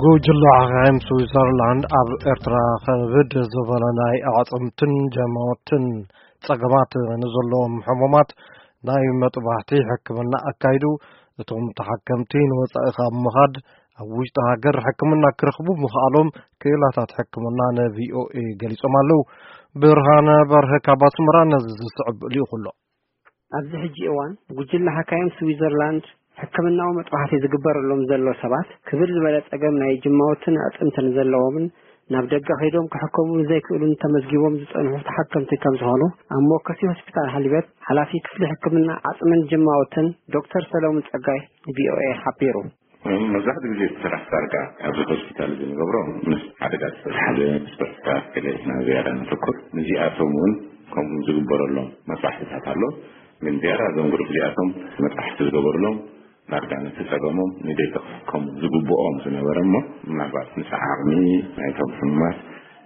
ጉጅለ ሓኻይም ስዊዘርላንድ ኣብ ኤርትራ ከብድ ዝበለ ናይ ኣዕጽምትን ጀማውትን ጸገማት ንዘለዎም ሕሙማት ናይ መጥባሕቲ ሕክምና ኣካይዱ። እቶም ተሓከምቲ ንወጻኢ ካብ ምኻድ ኣብ ውሽጢ ሃገር ሕክምና ክረኽቡ ምኽኣሎም ክኢላታት ሕክምና ን ቪ ኦ ኤ ገሊጾም ኣለዉ። ብርሃነ በርሀ ካብ ኣስመራ ነዚ ዝስዕብ ልኢኹ ኣሎ። ኣብዚ ሕጂ እዋን ጉጅለ ሓካይም ስዊዘርላንድ ሕክምናዊ መጥባሕቲ ዝግበረሎም ዘሎ ሰባት ክብድ ዝበለ ጸገም ናይ ጅማውትን ኣዕጽምትን ዘለዎምን ናብ ደገ ከይዶም ክሕከሙ ዘይክእሉን ተመዝጊቦም ዝጸንሑ ተሓከምቲ ከም ዝኾኑ ኣብ መወከሲ ሆስፒታል ሓሊበት ሓላፊ ክፍሊ ሕክምና ዓጽምን ጅማውትን ዶክተር ሰለሙን ጸጋይ ን ቪ ኦ ኤ ሓቢሩ። መብዛሕትኡ ግዜ እቲ ስራሕ ዳርጋ ኣብዚ ሆስፒታል እዚ ንገብሮ ምስ ሓደጋ ዝተተሓዘ ምስ በሽታ ገለ ኢና ዝያዳ ነተኩር። ንዚኣቶም እውን ከምኡ ዝግበረሎም መጥባሕትታት ኣሎ። ግን ዝያዳ እዞም ግሩፕ እዚኣቶም መጥባሕቲ ዝገበርሎም ዳርጋ ነቲ ጸገሞም ንደይ ክሕከሙ ዝግብኦም ዝነበረ እሞ ምናልባት ምስ ዓቕሚ ናይቶም ሕሙማት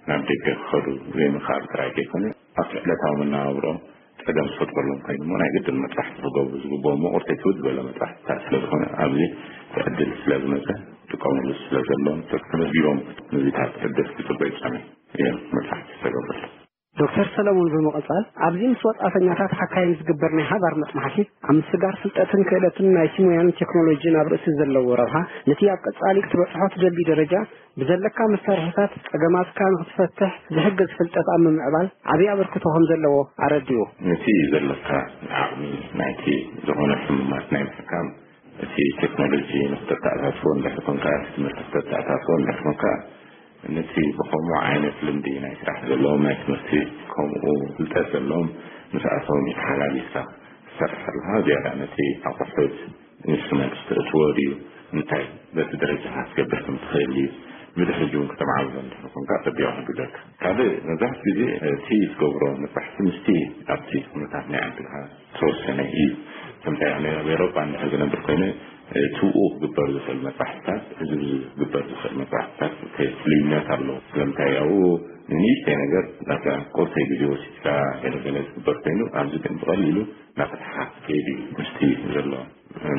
ናብ ደገ ክኸዱ ዘይምኽኣል ጥራይ ከይኮነ ኣብቲ ዕለታዊ መነባብሮኦም ጸገም ዝፈጥረሎም ኮይኑ እሞ ናይ ግድን መጥባሕቲ ክገብሩ ዝግብኦም እሞ ቁርተይ ትውድ ዝበለ መጥባሕትታት ስለ ዝኾነ ኣብዚ እቲ ዕድል ስለ ዝመጸ ክጥቀምሉ ስለ ዘለዎም ተመዝጊቦም ነዚታት ዕድል ክጽበዩ ጸኒሑ እዮም መጥባሕቲ ዝተገብረሎም። ዶክተር ሰለሙን ብምቕጻል ኣብዚ ምስ ወጻእተኛታት ሓካይም ዝግበር ናይ ሓባር መጽናሕቲ ኣብ ምስጋር ፍልጠትን ክእለትን ናይ ሲሞያን ቴክኖሎጂን ኣብ ርእሲ ዘለዎ ረብሓ ነቲ ኣብ ቀጻሊ ክትበጽሖ ትደሊ ደረጃ ብዘለካ መሳርሒታት ጸገማትካ ንኽትፈትሕ ዝሕግዝ ፍልጠት ኣብ ምምዕባል ዓብዪ ኣበርክቶ ከም ዘለዎ ኣረዲኡ። ነቲ ዘለካ ዓቕሚ ናይቲ ዝኾነ ሕሙማት ናይ ምሕካም እቲ ቴክኖሎጂ ንክተተኣሳስቦ እንድሕር ኮንካ እቲ ትምህርቲ ክተተኣሳስቦ እንድሕር ኮንካ ነቲ ብኸምኡ ዓይነት ልምዲ ናይ ስራሕ ዘለዎም ናይ ትምህርቲ ከምኡ ፍልጠት ዘለዎም ምስኣቶም ተሓላሊፍካ ትሰርሕ ኣለኻ ዝያዳ ነቲ ኣቑሑት ኢንስትሩመንት ተእትዎ ድዩ እንታይ በቲ ደረጃ ክትገብር ከም ትኽእል እዩ ብድሕሪ እውን ከተማዕብሎ እንድሕር ኮንካ ጸቢቑ ክሕግዘካ ካልእ መብዛሕትኡ ግዜ እቲ ትገብሮ መጥባሕቲ ምስቲ ኣብቲ ኩነታት ናይ ዓድኻ ዝተወሰነ እዩ ከምታይ ኣብ ኤሮጳ እንድሕር ዝነብር ኮይነ ትብኡ ክግበር ዝኽእል መጥባሕትታት ህዝቢ ዝግበር ዝኽእል መጥባሕትታት ፍልይነት ኣለዎ ስለምንታይ ኣብኡ ንንእሽተይ ነገር ዳርጋ ቁርተይ ግዜ ወሲድካ ገለገለ ዝግበር ኮይኑ ኣብዚ ግን ብቐሊሉ እናፈትሓኻ ክትከይድ እዩ ምስቲ ዘሎ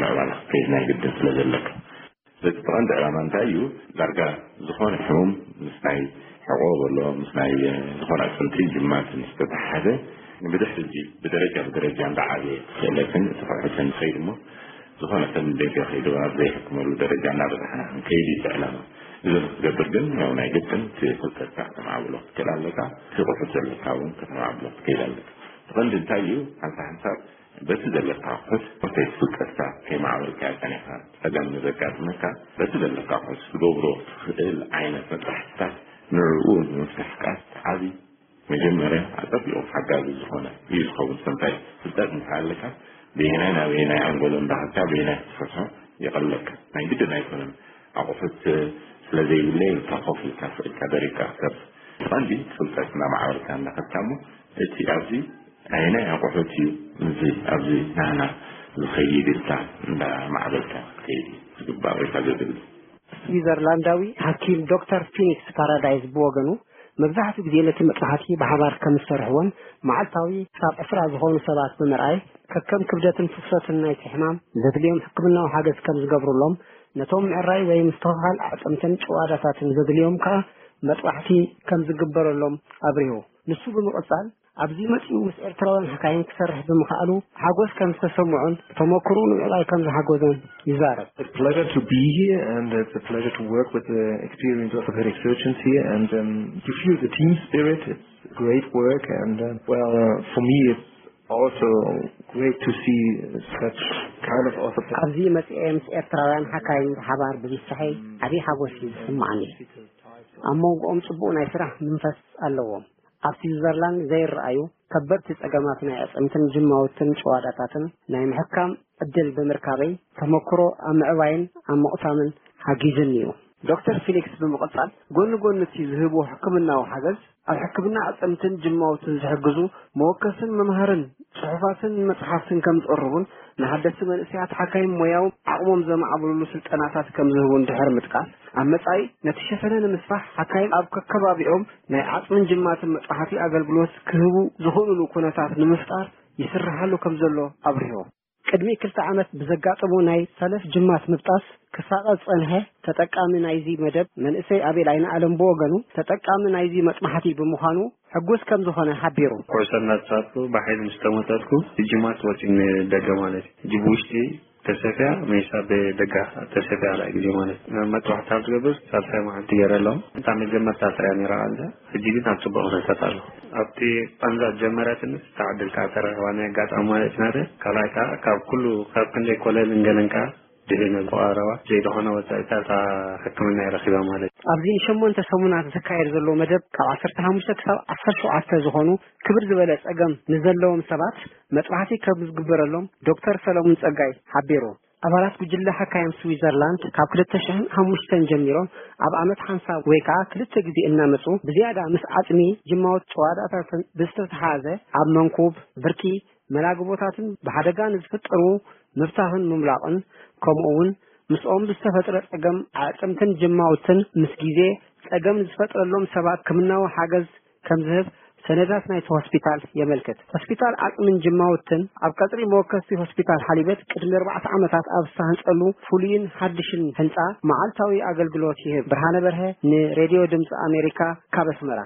ምዕባለ ክትከይድ ናይ ግድን ስለ ዘለካ በቲ ብቐንዲ ዕላማ እንታይ እዩ ዳርጋ ዝኾነ ሕሙም ምስ ናይ ሕቆ በሎ ምስ ናይ ዝኾነ ኣጥንትን ጅማትን ዝተተሓሓዘ ብድሕሪ እዚ ብደረጃ ብደረጃ እንዳዓበየ ክእለትን እቲ ክሕትን ይኸይድ እሞ ዝኾነ ሰብ ንደገ ከይዱ ኣብ ዘይሕክመሉ ደረጃ እናበዛሕና ክንከይድ እዩ እቲ ዕላማ እዚ ንክትገብር ግን ያው ናይ ግድን እቲ ፍልጠትካ ከተማዕብሎ ክትክእል ኣለካ እቲ ክሕት ዘለካ እውን ከተማዕብሎ ክትከይድ ኣለካ እቲ ቀንዲ እንታይ እዩ ሓንሳ ሓንሳብ በቲ ዘለካ ኣቑሑት ፕሮሴስ ፍልጠትካ ከይማዕበልካዮ ጸኒሕካ ጸገም ንዘጋጥመካ በቲ ዘለካ ኣቑሑት ክትገብሮ ትኽእል ዓይነት መጥባሕትታት ንዕኡ ንምፍታሕ ከኣ ዓቢ መጀመርያ ኣጸቢቑ ሓጋዚ ዝኾነ እዩ ዝኸውን ሰምታይ ፍልጠት እንተሃለካ በየናይ ናበየናይ ኣንጎሎ እንዳኸድካ በየናይ ክትፈትሖ የቐለልካ ናይ ግድን ኣይኮነን ኣቑሑት ስለ ዘይብለይ ኢልካ ኮፍ ኢልካ ስቕ ኢልካ ደሪቕካ ክትሰርሕ እቲ ቀንዲ ፍልጠት እናማዕበልካ እንዳኸድካ እሞ እቲ ኣብዚ ኣየናይ ኣቑሑት እዩ እዚ ኣብዚ ናህና ዝኸይድ ኢልካ እንዳ ማዕበልካ ክትከይድ እዩ ዝግባእ ወይ ከኣ ዘድሊ። ስዊዘርላንዳዊ ሓኪም ዶክተር ፊኒክስ ፓራዳይዝ ብወገኑ መብዛሕትኡ ግዜ ነቲ መጥባሕቲ ብሓባር ከም ዝሰርሕዎን መዓልታዊ ክሳብ ዕስራ ዝኾኑ ሰባት ብምርኣይ ከከም ክብደትን ፍሰትን ናይቲ ሕማም ዘድልዮም ሕክምናዊ ሓገዝ ከም ዝገብሩሎም ነቶም ምዕራይ ወይ ምስትኽኻል ኣዕፅምትን ጭዋዳታትን ዘድልዮም ከኣ መጥባሕቲ ከም ዝግበረሎም ኣብሪሁ። ንሱ ብምቕጻል ኣብዚ መጺኡ ምስ ኤርትራውያን ሓካይም ክሰርሕ ብምኽኣሉ ሓጎስ ከም ዝተሰምዖን ተመክሮኡ ንምዕባይ ከም ዝሓገዞን ይዛረብ። It's a pleasure to be here and it's a pleasure to work with the experienced orthopedic surgeons here and um, you feel the team spirit. It's great work and uh, well uh, for me it's also great to see such kind of orthopedic ኣብዚ መጺኤ ምስ ኤርትራውያን ሓካይም ብሓባር ብምስርሐይ ዓብዪ ሓጎስ እዩ ዝስምዓኒ። ኣብ መንጎኦም ጽቡቕ ናይ ስራሕ መንፈስ ኣለዎም። ኣብ ስዊዘርላንድ ዘይረኣዩ ከበድቲ ጸገማት ናይ ኣዕጽምትን ጅማውትን ጭዋዳታትን ናይ ምሕካም ዕድል ብምርካበይ ተመክሮ ኣብ ምዕባይን ኣብ ምቕሳምን ሓጊዙኒ እዩ። ዶክተር ፊሊክስ ብምቕጻል፣ ጎኒ ጎኒ እቲ ዝህብዎ ሕክምናዊ ሓገዝ፣ ኣብ ሕክምና ኣዕጽምትን ጅማውትን ዝሕግዙ መወከስን መምሃርን ጽሑፋትን መጽሓፍትን ከም ዝቕርቡን ንሓደስቲ መንእሰያት ሓካይም ሞያዊ ዓቕሞም ዘማዕብልሉ ስልጠናታት ከም ዝህቡ እንድሕር ምጥቃስ፣ ኣብ መጻኢ ነቲ ሸፈነ ንምስፋሕ ሓካይም ኣብ ከከባቢኦም ናይ ዓጽምን ጅማትን መጥባሕቲ ኣገልግሎት ክህቡ ዝኽእሉሉ ኩነታት ንምፍጣር ይስርሓሉ ከም ዘሎ ኣብሪሁ። ቅድሚ ክልተ ዓመት ብዘጋጠሞ ናይ ሰለፍ ጅማት ምብጣስ ክሳቐ ዝጸንሐ ተጠቃሚ ናይዚ መደብ መንእሰይ ኣቤል ኣይነ ኣለም ብወገኑ፣ ተጠቃሚ ናይዚ መጽናሕቲ ብምዃኑ ሕጉስ ከም ዝኾነ ሓቢሩ። ኩዕሶ እናተጻወትኩ ብሓይሊ ምስ ተመጠጥኩ፣ ጅማት ወጺኡ ንደገ ማለት እዩ። ጅብ ውሽጢ ተሰፍያ፣ ሜሳ ብደጋ ተሰፍያ፣ ካልኣይ ግዜ ማለት እዩ። መጥባሕቲ ኣብ ዝገብር ሳልሳይ መዓልቲ ገይረ ኣለኹ። እታ መጀመርታ ጥራይ ነይራ ቃንዛ፣ ሕጂ ግን ኣብ ጽቡቕ ኩነታት ኣሎ። ኣብቲ ቃንዛ ጀመረትንስ፣ እታ ዕድል ከኣ ተረኺባ፣ ናይ ኣጋጣሚ ማለት ናተ። ካልኣይ ከኣ ካብ ኩሉ፣ ካብ ክንደይ ኮለልን ገለን ከኣ ድሕነ ዝቐረባ፣ ዘይድኾነ ወጻኢታት ሕክምና ይረኺባ ማለት እዩ። ኣብዚ ንሸሞንተ ሰሙናት ዝካየድ ዘሎ መደብ፣ ካብ ዓሰርተ ሓሙሽተ ክሳብ ዓሰርተ ሸውዓተ ዝኾኑ ክብር ዝበለ ጸገም ንዘለዎም ሰባት መጥባሕቲ ከም ዝግበረሎም ዶክተር ሰለሙን ጸጋይ ሓቢሩ። ኣባላት ጉጅለ ሓካይም ስዊዘርላንድ ካብ ክልተ ሽሕን ሓሙሽተን ጀሚሮም ኣብ ዓመት ሓንሳብ ወይ ከኣ ክልተ ግዜ እናመጹ፣ ብዝያዳ ምስ ዓጽሚ፣ ጅማዎት፣ ጨዋዳታትን ብዝተተሓሓዘ፣ ኣብ መንኩብ፣ ብርኪ፣ መላግቦታትን ብሓደጋ ንዝፍጠሩ ምብታኽን ምምላቕን፣ ከምኡ እውን ምስኦም ብዝተፈጥረ ጸገም ኣዕጽምትን ጅማውትን ምስ ግዜ ጸገም ንዝፈጥረሎም ሰባት ሕክምናዊ ሓገዝ ከም ዝህብ ሰነዳት ናይቲ ሆስፒታል የመልክት። ሆስፒታል ዓጽምን ጅማውትን ኣብ ቀጽሪ መወከስቲ ሆስፒታል ሓሊበት ቅድሚ ኣርባዕተ ዓመታት ኣብ ዝተሃንጸሉ ፍሉይን ሓድሽን ህንጻ መዓልታዊ ኣገልግሎት ይህብ። ብርሃነ በርሀ ንሬድዮ ድምጺ ኣሜሪካ ካብ ኣስመራ።